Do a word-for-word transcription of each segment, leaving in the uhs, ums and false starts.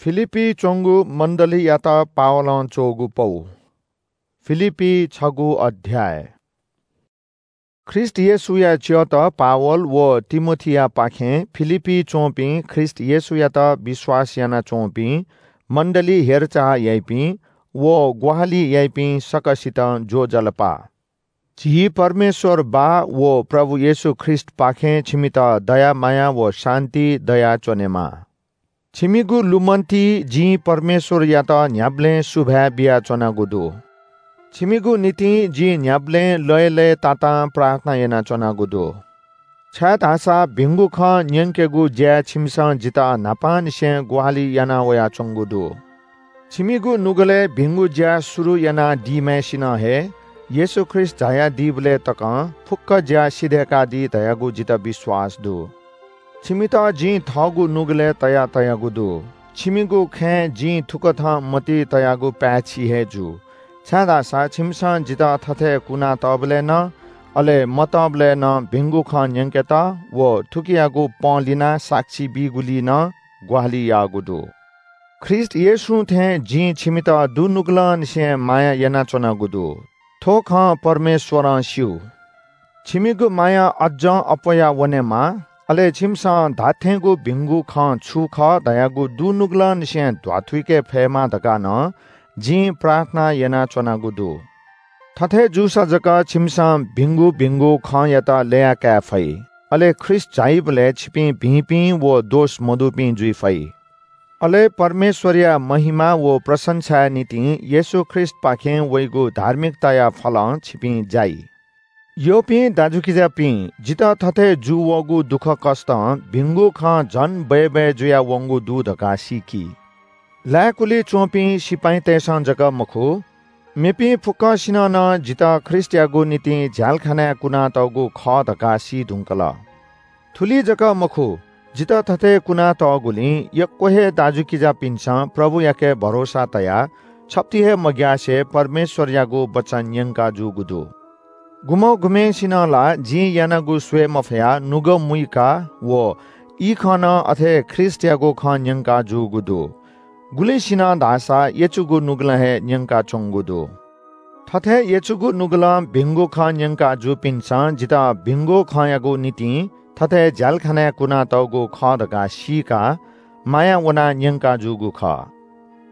फिलिप्‍पी च्‍वंगु मण्‍डलीयात पावलं च्‍वःगु पौ। फिलिप्‍पी छगू अध्‍याय। ख्रीष्‍ट येशूया च्‍यःत पावल व तिमोथीयापाखें फिलिप्‍पी च्‍वंपिं ख्रीष्‍ट येशूयात विश्‍वास यानाच्‍वंपिं मण्‍डली हेरचाह याइपिं व ग्‍वाहालि याइपिं सकसितं ज्‍वजलपा। झी परमेश्‍वर बाः व प्रभु येशू ख्रीष्‍टपाखें छिमित दया माया व शान्‍ति दयाच्‍वनेमा। छिमिगु लुमन्‍तिइ जिं परमेश्‍वरयात न्‍ह्याबलें सुभाय् बियाच्‍वनागु दु। छिमिगु निंतिं जिं न्‍ह्याबलें लय्‌लय्‌तातां प्रार्थना यानाच्‍वनागु दु। छाय्‌धाःसा भिंगु खँ न्‍यंकेगु ज्‍याय् छिमिसं जितः न्‍हापांनिसें ग्‍वाहालि याना वयाच्‍वंगु दु। छिमिगु नुगलय् भिंगु ज्‍या शुरु यानादीम्‍हय्‌सिनं हे येशू ख्रीष्‍ट झायादीबलय् तकं फुक्‍क ज्‍या सिधय्‌कादी धयागु जितः विश्‍वास दु। छिमित जिं थःगु नुगलय् तया तयागु दु। छिमिगु खँय् जिं थुकथं मतिइ तयागु पाय्‌छि हे जू, छाय्‌धाःसा छिमिसं जितः थथे कुनातःबलय् नं, अले मतःबलय् नं भिंगु खँ न्‍यंकेत व थुकियागु पंलिनाः साक्षी बीगुलिइ नं ग्‍वाहालि याःगु दु। ख्रीष्‍ट येशूं थें जिं छिमित दुनुगलंनिसें माया यानाच्‍वनागु दु। थ्‍व खँ परमेश्‍वरं स्‍यू। छिमिगु माया अज्‍जं अप्‍वया वनेमा, अले छिमिसं धात्‍थेंगु भिंगु खँ छु खः धयागु दुनुगलंनिसें ध्‍वाथुइके फयेमा धकाः नं जिं प्रार्थना यानाच्‍वनागु दु। थथे जूसा जक छिमिसं भिंगु भिंगु खँयात ल्‍यया काये फइ, अले ख्रीष्‍ट झाइबलय् छिपिं भिंपिं व दोष मदुपिं जुइ फइ। अले परमेश्‍वरया महिमा व प्रशंसाया निंतिं येशू ख्रीष्‍टपाखें वइगु धार्मिकताया फलं छिपिं जाइ। यःपिं दाजुकिजापिं, जितः थथे जूवःगु दुःखकष्‍टं भिंगु खँ झन बय्‌बय् जुयावंगु दु धकाः सीकि। लाय्‌कुलि च्‍वंपिं सिपाइँतय्‌सं जक मखु, मेपिं फुक्‍कसिनं नं जितः ख्रीष्‍टयागु निंतिं झ्‍यालखानाय् कुनातःगु खः धकाः सी धुंकल। थुलि जक मखु, जितः थथे कुनातःगुलिं यक्‍व हे दाजुकिजापिन्‍सं प्रभुयाके भरोसा तयाः छप्‍ति हे मग्‍यासे परमेश्‍वरयागु वचन न्‍यंका जूगु दु। गुम्‍ह गुम्‍हय्‌सिनं ला जिं यानागु स्‍वये मफयाः नुगः मुइका व ई खँ नं अथे ख्रीष्‍टयागु खँ न्‍यंका जूगु दु। गुलिसिनं धाःसा यचुगु नुगलं हे न्‍यंकाच्‍वंगु दु। थथे यचुगु नुगलं भिंगु खँ न्‍यंका जूपिन्‍सं जितः भिंगु खँयागु निंतिं थथे झ्‍यालखानाय् कुनातःगु खः धकाः सीकाः माया वनाः न्‍यंका जूगु खः।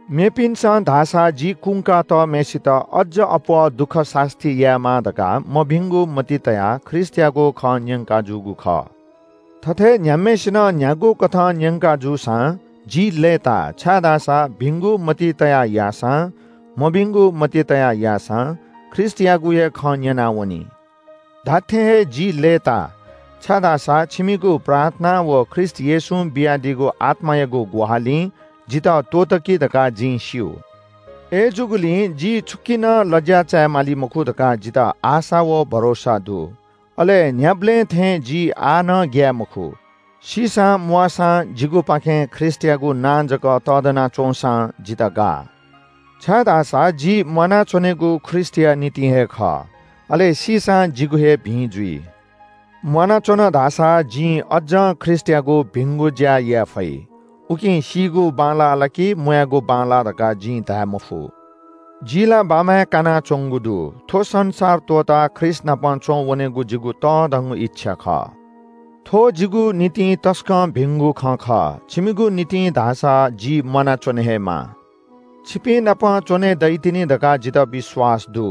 मेपिन्‍सं धाःसा जि कुंकातःम्‍हय्‌सित अज्‍ज अप्‍वः दुःख सास्‍ती यायेमाः धकाः मभिंगु मतिइ तयाः ख्रीष्‍टयागु खँ न्‍यंका जूगु खः। थथे न्‍ह्याम्‍हय्‌सिनं न्‍ह्यागु कथं न्‍यंका जूसां जि लय्‌ताः, छाय्‌धाःसा भिंगु मतिइ तयाः याःसां, मभिंगु मतिइ तयाः याःसां ख्रीष्‍टयागु हे खँ न्‍यनावनी। धात्‍थें हे जि लय्‌ताः, छाय्‌धाःसा छिमिगु प्रार्थना व ख्रीष्‍ट येशूं बियादीगु आत्‍मायागु ग्‍वाहालिं जितः त्‍वःतकी धकाः जिं स्‍यू। अय्‌जूगुलिं जि छुकिं नं लज्‍या चायेमाली मखु धकाः जितः आशा व भरोसा दु। अले न्‍ह्याबलें थें जि आः नं ग्‍याये मखु। सीसां म्‍वाःसां जिगुपाखें ख्रीष्‍टयागु नां जक तःधना च्‍वंसां जितः गाः। छाय्‌धाःसा जि म्‍वानाच्‍वनेगु ख्रीष्‍टया निंतिं हे खः, अले सीसां जिगु हे भिं जुइ। म्‍वानाच्‍वन धाःसा जिं अज्‍जं ख्रीष्‍टयागु भिंगु ज्‍या याये फइ। उकिं सीगु बांलाः ला कि म्‍वायेगु बांलाः धकाः जिं धाये मफु। जि ला बाम्‍वाय् कानाच्‍वंगु दु। थ्‍व संसार त्‍वःताः ख्रीष्‍ट नाप च्‍वं वनेगु जिगु तःधंगु इच्‍छा खः। थ्‍व जिगु निंतिं तसकं भिंगु खँ खः, छिमिगु निंतिं धाःसा जि म्‍वानाच्‍वने हे माः। छिपिं नाप च्‍वने दइतिनि धकाः जितः विश्‍वास दु।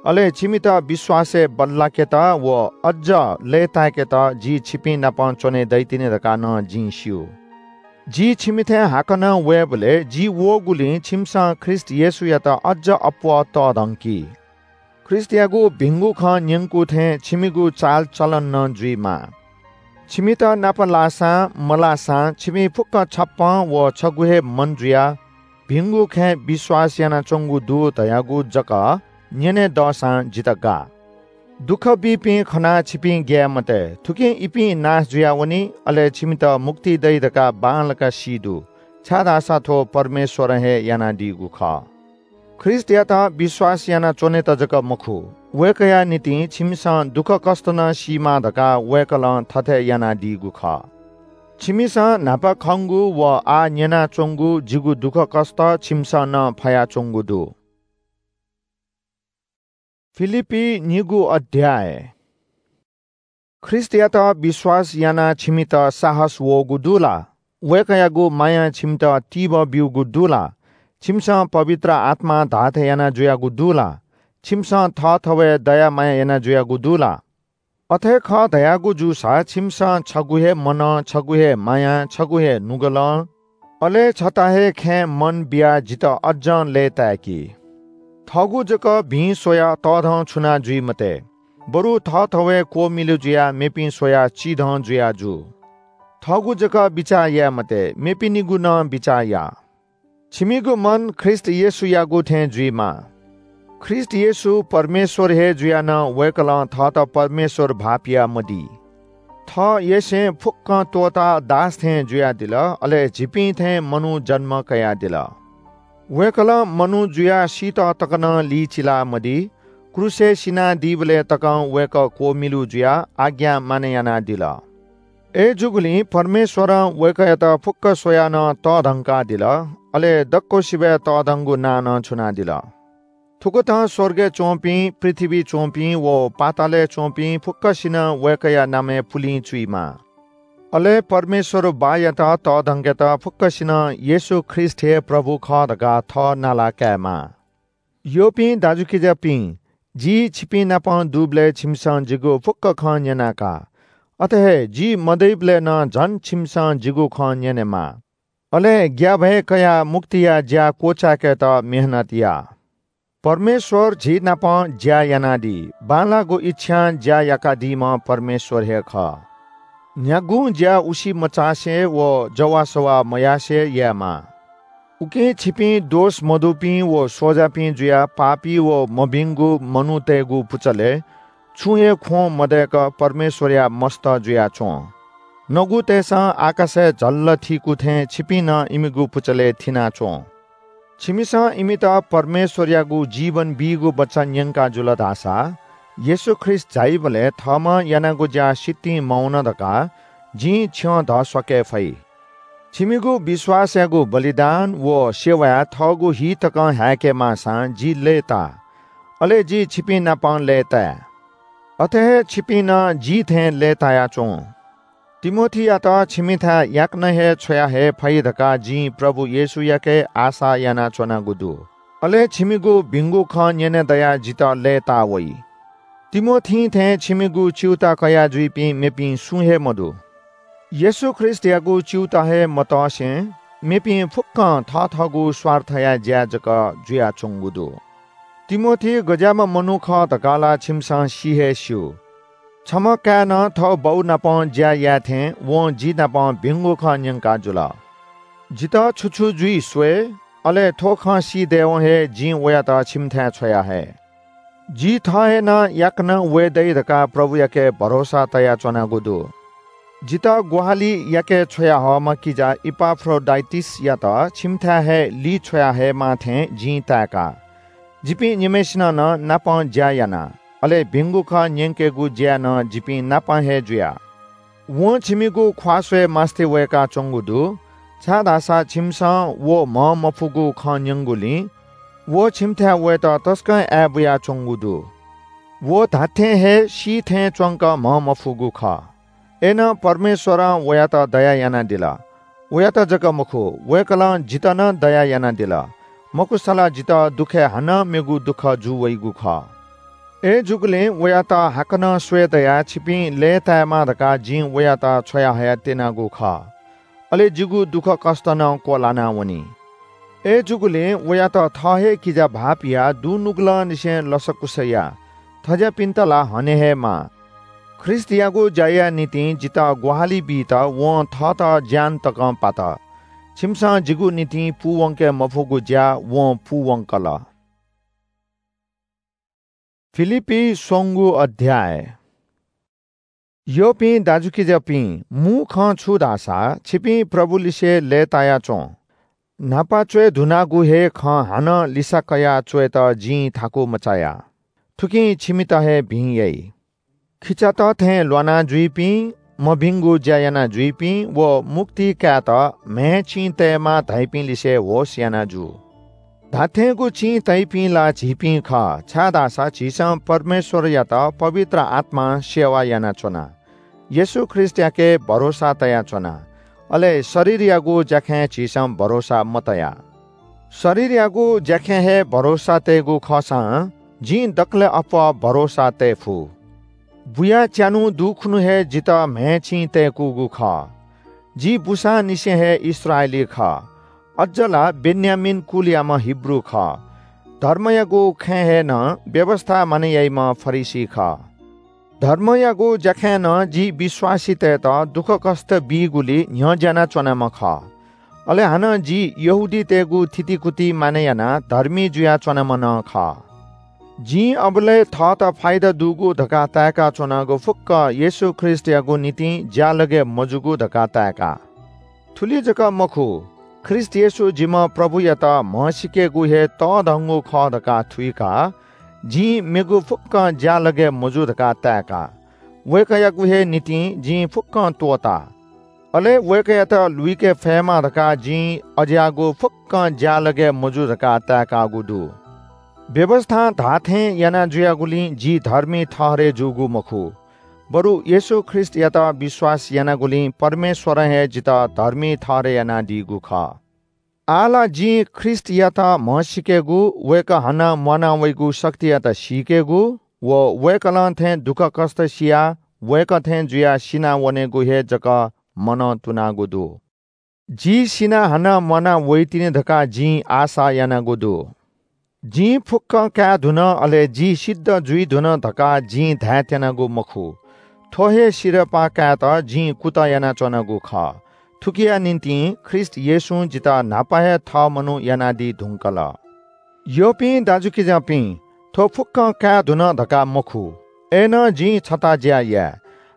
अले छिमित विश्‍वासय् बल्‍लाकेत व अज्‍ज लय्‌ताय्‌केत जि छिपिं नाप च्‍वने दइतिनि धकाः नं जिं स्‍यू। जि छिमिथाय् हाकनं वयेबलय् जि वःगुलिं छिमिसं ख्रीष्‍ट येशूयात अज्‍ज अप्‍वः तःधंकी। ख्रीष्‍टयागु भिंगु खँ न्‍यंकू थें छिमिगु चालचलन नं जुइमाः। छिमित नाप लाःसां मलाःसां छिपिं फुक्‍क छप्‍पँ व छगू हे मन जुयाः भिंगु खँय् विश्‍वास यानाच्‍वंगु दु धयागु जक न्‍यने दःसां जितः गाः। दुःख बीपिं खनाः छिपिं ग्‍याये मते, थुकिं इपिं नाश जुयावनी, अले छिमित मुक्ति दइ धकाः बांलाक सी दु, छाय्‌धाःसा थ्‍व परमेश्‍वरं हे यानादीगु खः। ख्रीष्‍टयात विश्‍वास यानाच्‍वनेत जक मखु, वय्‌कःया निंतिं छिमिसं दुःखकष्‍ट नं सीमाः धकाः वय्‌कलं थथे यानादीगु खः। छिमिसं न्हापा खंगु व आः न्यनाच्वंगु जिगु दुःखकष्ट छिमिसं नं फयाच्वंगु दु। फिलिप्पी निगू अध्याय। ख्रीष्टयात विश्वास यानाः छिमित साहस वःगु दु ला? वय्‌कःयागु मायां छिमित तिबः ब्यूगु दु ला? छिमिसं पवित्र आत्मां धाःथें याना जुयागु दु ला? छिमिसं थःथवय् दया माया याना जुयागु दु ला? अथे खः धयागु जूसा छिमिसं छगू हे मनं, छगू हे मायां, छगू हे नुगलं, अले छता हे खँय् मन बियाः जितः अज्जं लय्‌ताय्‌कि। थःगु जक भिं स्वयाः तःधं छुना जुइ मते, बरु थःथवय् क्वमिलु जुयाः मेपिं स्वयाः चिधं जुया जु। थःगु जक बिचाः याये मते, मेपिनिगु नं बिचाः या। छिमिगु मन ख्रीष्ट येशूयागु थें जुइमा। ख्रीष्ट येशू परमेश्वर हे जुयाः नं वय्‌कलं थःत परमेश्वर भाःपिया मदी। थः येसें फुक्कं त्वःताः दास थें जुयादिल, अले झीपिं थें मनू जन्म कयादिल। वय्‌कलं मनू जुयाः सीत तक नं लिचिला मदी, क्रूसय् सिनादीबलय् तकं वय्‌कः क्वमिलु जुयाः आज्ञा मानय् यानादिल। अय्‌जूगुलिं परमेश्वरं वय्‌कःयात फुक्क स्वयाः नं तःधंकादिल, अले दक्वसिबय् तःधंगु नां नं छुनादिल। थुकथं स्वर्गय् च्वंपिं, पृथ्वीइ च्वंपिं व पातालय् च्वंपिं फुक्कसिनं वय्‌कःया नामय् पुलिं चुइमा। अले परमेश्वर बाःयात तःधंकेत फुक्कसिनं येशू ख्रीष्ट हे प्रभु खः धकाः थः नाला कायेमा। यःपिं दाजुकिजापिं, जि छिपिं नाप दुबलय् छिमिसं जिगु फुक्क खँ न्यना का। अथे हे जि मदइबलय् नं झन छिमिसं जिगु खँ न्यनेमा। अले ग्याःभय कयाः मुक्तिया ज्या क्वचाय्‌केत मेहनत या। परमेश्वर झी नाप ज्या यानादी, बांलाःगु इच्छां ज्या याकादीम्ह परमेश्वर हे खः। न्ह्यागुं ज्या उसी मचासे व जवाःसवाः मयासे यायेमा। उकिं छिपिं दोष मदुपिं व स्वजापिं जुयाः पापी व मभिंगु मनूतय्‌गु पुचलय् छुं हे ख्वँ मदय्‌क परमेश्वरया मस्त जुयाच्वँ। नगुतय्‌सं आकाशय् झल्ल थीकू थें छिपिं नं इमिगु पुचलय् थिनाच्वँ। छिमिसं इमित परमेश्वरयागु जीवन बीगु वचन न्यंका जुल धाःसा, येशू ख्रीष्ट झाइबलय् थःम्हं यानागु ज्या सितिं मवन धकाः जिं छ्यं धस्वाके फइ। छिमिगु विश्वासयागु बलिदान व सेवाय् थःगु हि तकं हाय्‌के माःसां जि लय्‌ता, अले जि छिपिं नाप लय्‌ताये। अथे हे छिपिं नं जि थें लय्‌ताया च्वँ। तिमोथीयात छिमिथाय् याकनं हे छ्वया हये फइ धकाः जिं प्रभु येशूयाके आशा यानाच्वनागु दु। अले छिमिगु भिंगु खँ न्यने दयाः जितः लय्‌ता वइ। तिमोथीं थें छिमिगु च्यूताः कयाः जुइपिं मेपिं सुं हे मदु। येशू ख्रीष्टयागु च्यूताः हे मतसें मेपिं फुक्कं थःथःगु स्वार्थया ज्या जक जुयाच्वंगु दु। तिमोथी गज्याःम्ह मनू खः धकाः ला छिमिसं सि हे स्यू। छम्ह काय्‌नं थः बौ नाप ज्या याये थें वं जि नाप भिंगु खँ न्यंका जुल। जितः छु छु जुइ स्वये, अले थ्व खँ सी दयेवं हे जिं वयात छिमिथाय् छ्वया हये। जि थः हे नं याकनं वये दइ धकाः प्रभुयाके भरोसा तयाच्वनागु दु। जितः ग्वाहालि याके छ्वया हःम्ह किजा इपाफ्रोडाइटिसयात छिमिथाय् हे ली छ्वया हयेमाः थें जिं ताय्‌का। जिपिं निम्हय्‌सिनं नं नाप ज्या याना, अले भिंगु खँ न्यंकेगु ज्याय् नं जिपिं नाप हे जुया। वं छिमिगु ख्वाः स्वये मास्ति वय्‌काच्वंगु दु, छाय्‌धाःसा छिमिसं व म्हं मफुगु खँ न्यंगुलिं व छिमिथाय् वयेत तसकं आय् बुयाच्वंगु दु। व धात्थें हे सी थें च्वंक म्हं मफुगु खः। अय्‌नं परमेश्वरं वयात दया यानादिल। वयात जक मखु, वय्‌कलं जितः नं दया यानादिल। मखुसा ला जितः दुःखय् हानं मेगु दुःख जू वइगु खः। अय्‌जूगुलिं वयात हाकनं स्वये दयाः छिपिं लय्‌तायेमा धकाः जिं वयात छ्वया हयाः त्यनागु खः। अले जिगु दुःखकष्ट नं क्वलाना वनी। अय्‌जूगुलिं वयात थः हे किजा भाःपियाः दुनुगलंनिसें लसकुस या। थज्याःपिन्त ला हने हे माः। ख्रीष्टयागु ज्याया निंतिं जितः ग्वाहालि बीत वं थःत ज्यान तकं पात। छिमिसं जिगु निंतिं पूवंके मफुगु ज्या वं पूवंकल। फिलिप्पी स्वंगू अध्याय। यःपिं दाजुकिजापिं, मू खँ छु धाःसा छिपिं प्रभुलिसे लय्‌ताया च्वँ। न्हापा च्वय् धुनागु हे खँ हानं लिसा कयाः च्वयेत जिं थाकु मचाया। थुकिं छिमित हे भिं याइ। खिचात थें ल्वाना जुइपिं, मभिंगु ज्या याना जुइपिं व मुक्ति कायेत म्‍हय् चिं तयेमाः धाइपिं लिसे होश याना जु। धात्‍थेंगु चिं तइपिं ला झीपिं खः, छाय्‌धाःसा झीसं परमेश्‍वरयात पवित्र आत्‍मां सेवा यानाच्‍वना। येशू ख्रीष्‍टयाके भरोसा तयाच्‍वना। अले शरीरयागु ज्‍याखँय् झीसं भरोसा मतया। शरीरयागु ज्‍याखँय् हे भरोसा तयेगु खःसां जिं दकलय् अप्‍वः भरोसा तये फु। बुया च्यान्‍हु दुखुन्‍हु हे जितः म्‍हय् चिं तय्‌कूगु खः। जि बूसांनिसें हे इस्राएली खः। अज्‍ज ला बेन्‍यामीन कुलयाम्‍ह हिब्रू खः। धर्मयागु खँय् हे नं व्‍यवस्‍था मानय् याइम्‍ह फरिसी खः। धर्मयागु ज्‍याखँय् नं जि विश्‍वासीतय्‌त दुःखकष्‍ट बीगुली न्‍ह्यज्‍यानाच्‍वनाम्‍ह खः। अले हानं जि यहूदीतय्‌गु थितिकुति मानय् यानाः धर्मी जुयाच्‍वनाम्‍ह नं खः। जिं अबलय् थःत फाइदा दुगु धकाः ताय्‌काच्‍वनागु फुक्‍क येशू ख्रीष्‍टयागु निंतिं ज्‍यालगय् मजूगु धकाः ताय्‌का। थुलि जक मखु, ख्रीष्‍ट येशू जिम्‍ह प्रभुयात म्हसीकेगु हे तःधंगु खः धकाः थुइकाः जिं मेगु फुक्‍कं ज्‍यालगय् मजू धकाः ताय्‌का। वय्‌कःयागु हे निंतिं जिं फुक्‍कं त्‍वःता। अले वय्‌कःयात लुइके फयेमा धकाः जिं अज्‍याःगु फुक्‍कं ज्‍यालगय् मजू धकाः ताय्‌कागु दु। व्‍यवस्‍थां धाःथें याना जुयागुलिं जि धर्मी ठहरय् जूगु मखु, बरु येशू ख्रीष्‍टयात विश्‍वास यानागुलिं परमेश्‍वरं हे जितः धर्मी ठहरय् यानादीगु खः। आः ला जिं ख्रीष्‍टयात म्हसीकेगु, वय्‌कः हानं म्‍वाना वइगु शक्तियात सीकेगु व वय्‌कलं थें दुःखकष्‍ट सियाः वय्‌कः थें जुयाः सिना वनेगु हे जक मनं तुनागु दु। जि सिनाः हानं म्‍वाना वइतिनि धकाः जिं आशा यानागु दु। जिं फुक्‍कं काये धुन, अले जि सिद्ध जुइ धुन धकाः जिं धायेत्‍यनागु मखु। थ्‍व हे सिरपाः कायेत जिं कुतः यानाच्‍वनागु खः। थुकिया निंतिं ख्रीष्‍ट येशूं जितः न्‍हापा हे थः मनू यानादी धुंकल। यःपिं दाजुकिजापिं, थ्‍व फुक्‍कं काये धुन धकाः मखु, अय्‌नं जिं छता ज्‍या याये।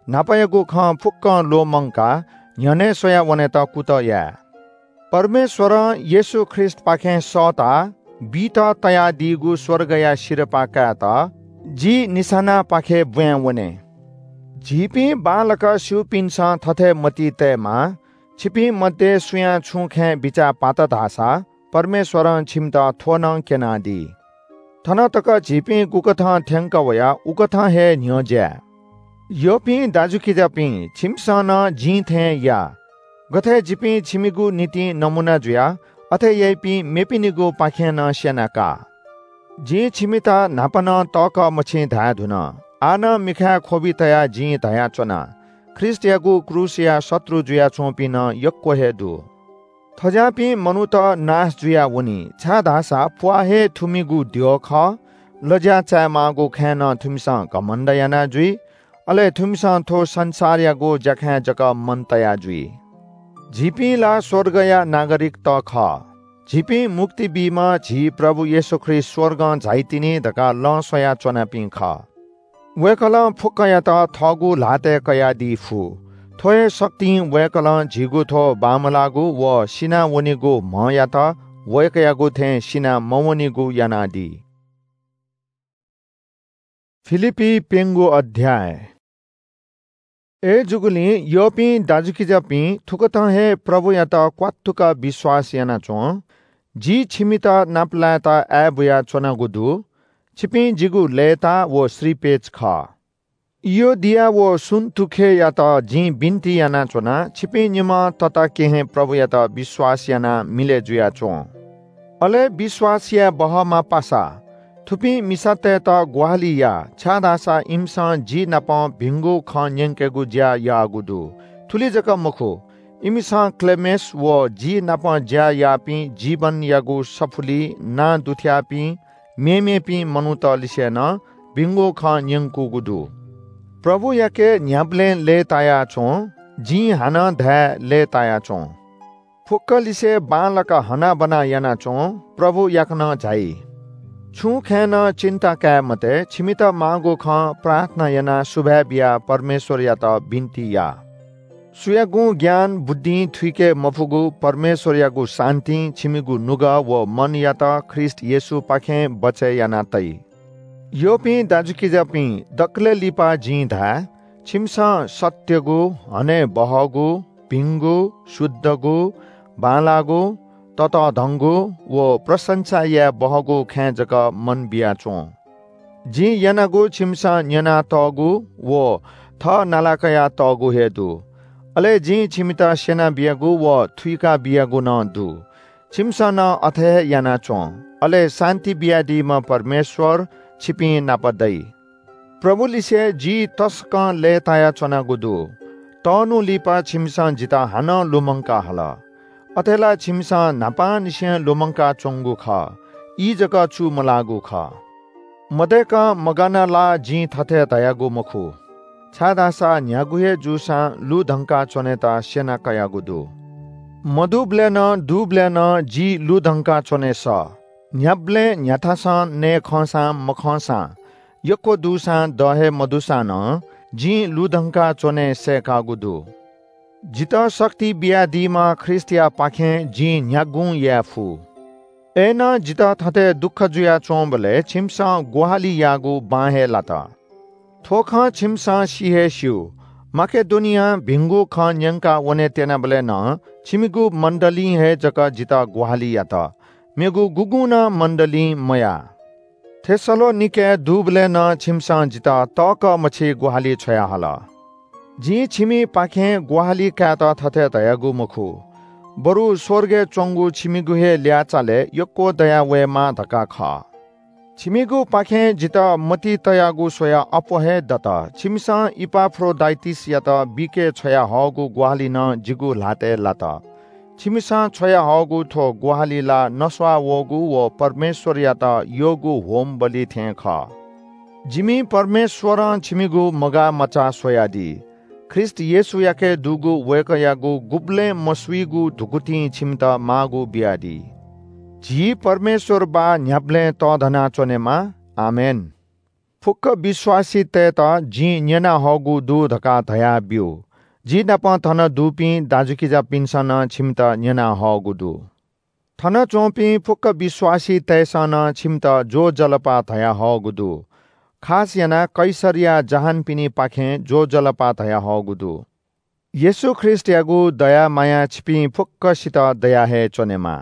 न्‍हापायागु खँ फुक्‍कं ल्‍वःमंकाः न्‍ह्यःने स्वया वनेत कुतः याये। परमेश्‍वरं येशू ख्रीष्‍टपाखें सःताः बीत तयादीगु स्‍वर्गया सिरपाः कायेत जि निशानापाखे ब्‍वाँय् वने। झीपिं बांलाक स्‍यूपिन्‍सं थथे मतिइ तयेमाः, छिपिं मध्ये सुयां छुं खँय् बिचाः पात धाःसा परमेश्‍वरं छिमित थ्‍व नं क्‍यनादी। थन तक झीपिं गुकथं थ्‍यंकः वया उकथं हे न्‍ह्यज्‍याये। यःपिं दाजुकिजापिं, छिमिसं नं जिं थें या। गथे जिपिं छिमिगु निंतिं नमूना जुया, अथे याइपिं मेपिनिगुपाखें नं स्‍यना का। जिं छिमित न्‍हापा नं तःकः मछिं धाये धुन। आः नं मिखाय् ख्‍वबि तयाः जिं धयाच्‍वना, ख्रीष्‍टयागु क्रूसया शत्रु जुयाच्‍वंपिं नं यक्‍व हे दु। थज्‍याःपिं मनूत नाश जुयावनी, छाय्‌धाःसा प्‍वाः हे थुमिगु द्यः खः। लज्‍या चायेमाःगु खँय् नं थुमिसं घमण्‍ड याना जुइ, अले थुमिसं थ्‍व संसारयागु ज्‍याखँय् जक मन तया जुइ। झीपिं ला स्‍वर्गया नागरिकत खः। झीपिं मुक्ति बीम्‍ह झी प्रभु येशू ख्रीष्‍ट स्‍वर्गं झाइतिनि धकाः लँ स्वयाच्‍वनापिं खः। वय्‌कलं फुक्‍कयात थःगु ल्‍हातय् कयादी फु। थ्‍व हे शक्तिं वय्‌कलं झीगु थ्‍व बांमलाःगु व सिना वनीगु म्‍हयात वय्‌कःयागु थें सिना मवनीगु यानादी। फिलिप्‍पी प्‍यंगू अध्‍याय। अय्‌जूगुलिं यःपिं दाजुकिजापिं, थुकथं हे प्रभुयात क्‍वात्तुक विश्‍वास यानाच्‍वँ। जि छिमित नापलायेत आय्‌बुया च्‍वनागु दु। छिपिं जिगु लय्‌ताः व श्रीपेच खः। इयोदिया व सुन्‍तुखेयात जिं बिन्‍ति यानाच्‍वना, छिपिं निम्‍हं तताकेहेँ प्रभुयात विश्‍वास यानाः मिलय् जुयाच्‍वँ। अले विश्‍वास याये बहःमा पासा थुपिं मिसातय्‌त ग्‍वाहालि या, छाय्‌धाःसा इमिसं जि नाप भिंगु खँ न्‍यंकेगु ज्‍या याःगु दु। थुलि जक मखु, इमिसं क्‍लेमेस व जि नाप ज्‍या याःपिं जीवनयागु सफुलिइ नां दुथ्‍याःपिं मेमेपिं मनूतलिसे नं भिंगु खँ न्‍यंकूगु दु। प्रभुयाके न्‍ह्याबलें लय्‌ताया च्‍वँ, जिं हानं धाये लय्‌ताया च्‍वँ। फुक्‍कलिसे बांलाक हनाबना यानाच्‍वँ, प्रभु याकनं झाइ। छुं खँय् नं चिन्ता काये मते, छिमित माःगु खँ प्रार्थना यानाः सुभाय् बियाः परमेश्‍वरयात बिन्‍ति या। सुयागुं ज्ञान बुद्धिं थुइके मफुगु परमेश्‍वरयागु शान्‍तिं छिमिगु नुगः व मनयात ख्रीष्‍ट येशूपाखें बचय् याना तइ। यःपिं दाजुकिजापिं, दकलय् लिपा जिं धाये, छिमिसं सत्यगु, हनेबहःगु, भिंगु, शुद्धगु, बांलाःगु, ततःधंगु व प्रशंसा याये बहःगु खँय् जक मन बियाच्वँ। जिं यानागु छिमिसं न्यनातःगु व थः नाला कयातःगु हे दु। अले जिं छिमित स्यनाबियागु व थुइका बियागु नं दु। छिमिसं नं अथे हे याना च्वँ। अले शान्ति बियादीम्ह परमेश्वर छिपिं नाप दइ। प्रभुलिसे जि तसकं लय्ताया च्वनागु दु। तःन्हु लिपा छिमिसं जितः हानं लुमंका हल। अथे ला छिमिसं न्हापांनिसें लुमंका च्वंगु खः, ई जक चूमलाःगु खः। मदय्कं मगाना ला जिं थथे धयागु मखु, छाय्धाःसा न्ह्यागु हे जूसां लुधंका च्वनेत स्यना कयागु दु। मदुबलय् नं दुबलय् नं जि लुधंका च्वने सः। न्ह्याबलें न्ह्याथासं नये खंसां मखंसां, यक्व दुसां द हे मदुसां नं जिं लुधंका च्वने सय्कागु दु। जितः शक्ति बियादीम्ह ख्रीष्टयापाखें जिं न्ह्यागुं याये फु। अय्नं जितः थथे दुःख जुयाच्वंबलय् छिमिसं ग्वाहालि याःगु बां हे लात। थ्व खँ छिमिसं सि हे स्यू, माकेडोनियां भिंगु खँ न्यंका वने त्यनाबलय् नं छिमिगु मण्डलीं हे जक जितः ग्वाहालि यात, मेगु गुगुं नं मण्डलीं मयाः। थेसलोनिकेय् दुबलय् नं छिमिसं जितः तःकः मछि ग्वाहालि छ्वयाहल। जिं छिमिपाखें ग्वाहालि कायेत थथे धयागु मखु, बरु स्वर्गय् च्वंगु छिमिगु हे ल्याःचालय् यक्व दया वयेमा धकाः खः। छिमिगुपाखें जितः मतिइ तयागु स्वयाः अप्वः हे दत। छिमिसं इपाफ्रोडाइटिसयात बिके छ्वयाहःगु ग्वाहालि नं जिगु ल्हातय् लात। छिमिसं छ्वयाहःगु थ्व ग्वाहालि ला नस्वाः वःगु व परमेश्वरयात यःगु होमबलि थें खः। जिमि परमेश्वरं छिमिगु मगाः मचा स्वयादी। ख्रीष्ट येशूयाके दुगु वय्कःयागु गुबलें मस्वीगु धुकुतिं छिमित माःगु बियादी। झी परमेश्वर बाः न्ह्याबलें तःधना च्वनेमा। आमेन। फुक्क विश्वासीतय्त जिं न्यनाहःगु दु धकाः धयाब्यु। जि नाप थन दुपिं दाजुकिजापिन्सं नं छिमित न्यनाहःगु दु। थन च्वंपिं फुक्क विश्वासीतय्सं नं छिमित ज्वजलपा धयाहःगु दु। खास यानाः कैसरया जहानपिनिपाखें ज्वजलपा धयाहःगु दु। येशू ख्रीष्टयागु दया मायां छिपिं फुक्कसित दया हे च्वनेमा।